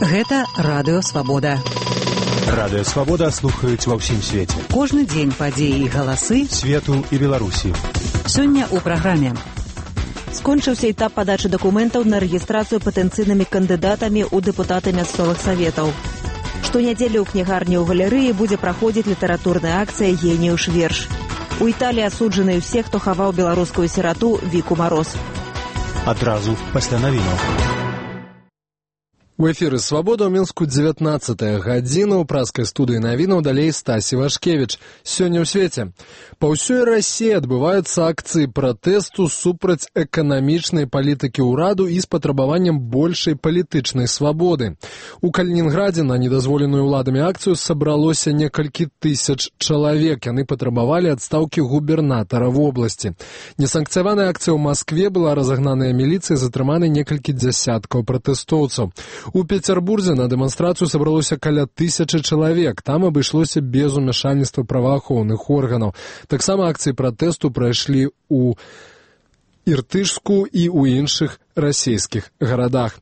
Гэта Радыё Свабода. Радыё Свабода слухаюць ва ўсім свеце. Кожны дзень падзеі і галасы свету і Беларусі. Сёння ў праграме. Скончыўся этап падачы дакументаў на рэгістрацыю патэнцыйнымі кандыдатамі ў дэпутаты мясцовых саветаў. Штонядзелю ў кнігарні ў галерэі будзе праходзіць літаратурная акцыя «Геніюш верш». У Італіі асуджаны ўсе, хто хаваў беларускую сірату Віку Мароз. Адразу пасля навінаў. У эфіры «Свабода» ў Мінску 19-я гадзіна. У праскай студыі навінаў далей Стасі Вашкевіч. Сёння ў свеце. Па ўсёй Расіі адбываюцца акцыі пратэсту супраць эканамічнай палітыкі ўраду і з патрабаваннем большай палітычнай свабоды. У Калінінградзе на недазволеную ўладамі акцыю сабралося некалькі тысяч чалавек. Яны патрабавалі адстаўкі губернатара вобласці. Несанкцыяваная акцыя ў Маскве была разагнаная міліцыяй, затрыманы некалькі дзясяткаў пратэстоўцаў. У Петербурзе на дэманстрацыю сабралося каля 1000 чалавек. Там абышлося без умяшальніцтва праваахоўных органаў. Таксама акцыі пратэсту прайшлі ў Іртышску і ў іншых расійскіх гарадах.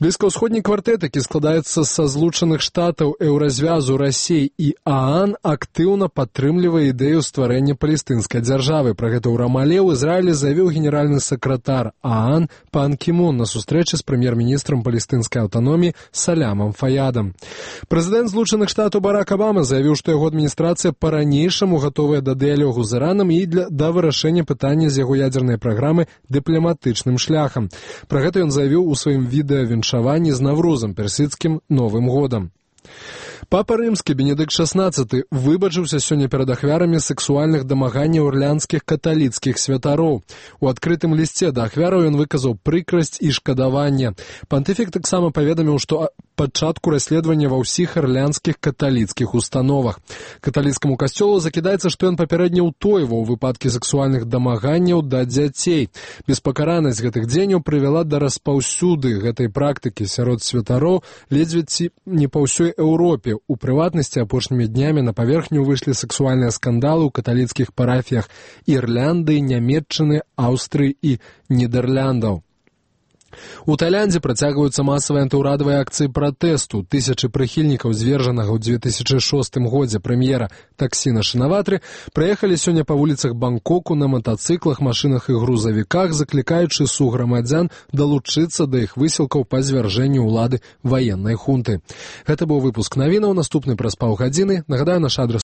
Блізкаўсходні квартэт, які складаецца са Злучаных Штатаў, Еўразвязу, Расіі і ААН, актыўна падтрымлівае ідэю стварэння палестынскай дзяржавы. Пра гэта ў Рамале ў Ізраілі заявіў генеральны сакратар ААН Пан Кі Мун на сустрэчы з прэм'ер-міністрам палестынскай аўтаноміі Салямам Фаядам. Прэзідэнт Злучаных Штатаў Барак Абама заявіў, што яго адміністрацыя па-ранейшаму гатовая да дыялогу з Іранам і да вырашэння пытання з яго ядзернай праграмы дыпламатычным шляхам. Пра гэта ён заявіў у сваім відэавіншаванні з Наврузам, персідскім Новым годам. Папа Рымскі Бенедыкт XVI выбачыўся сёння перад ахвярамі сексуальных дамаганняў ірландскіх каталіцкіх святароў. У адкрытым лісце да ахвяраў ён выказаў прыкрасць і шкадаванне. Пантыфік таксама паведаміў, што пачатку расследавання ва ўсіх ірландскіх каталіцкіх установах. Каталіцкаму касцёлу закідаецца, што ён папярэдне ўтойваў выпадкі сексуальных дамаганняў да дзяцей. Беспакаранасць гэтых дзеянняў прывяла да распаўсюды гэтай практыкі сярод святароў ледзьве ці не па ўсёй Еўропе. У прыватнасці апошнімі днямі на паверхню выйшлі сексуальныя скандалы ў каталіцкіх парафіях Ірландыі, Нямецчыны, Аўстрыі і Нідэрляндаў. У Таіландзе працягваюцца масавыя антыўрадавыя акцыі пратэсту. Тысячы прыхільнікаў звержанага ў 2006 годзе прэм'ера Таксіна Шынаватры праехалі сёння па вуліцах Бангкоку на матацыклах, машынах і грузавіках, заклікаючы суграмадзян далучыцца да іх высілкаў па звяржэнню ўлады ваеннай хунты. Гэта быў выпуск навінаў, наступны праз паўгадзіны. Нагадаю, наш адрас